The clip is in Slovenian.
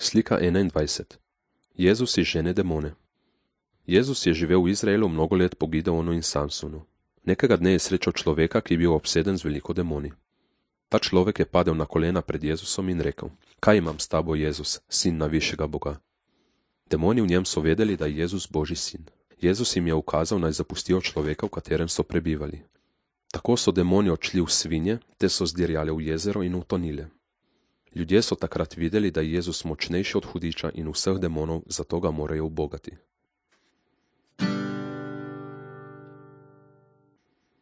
Slika 21. Jezus izžene demone. Jezus je živel v Izraelu mnogo let po Gideonu in Samsonu. Nekega dne je srečal človeka, ki je bil obseden z veliko demoni. Ta človek je padel na kolena pred Jezusom in rekel: Kaj imam s tabo, Jezus, sin najvišjega Boga? Demoni v njem so vedeli, da je Jezus Božji sin. Jezus jim je ukazal, naj zapustijo človeka, v katerem so prebivali. Tako so demoni odšli v svinje, te so zdirjale v jezero in utonile. Ljudje so takrat videli, da je Jezus močnejši od hudiča in vseh demonov, zato ga morajo ubogati.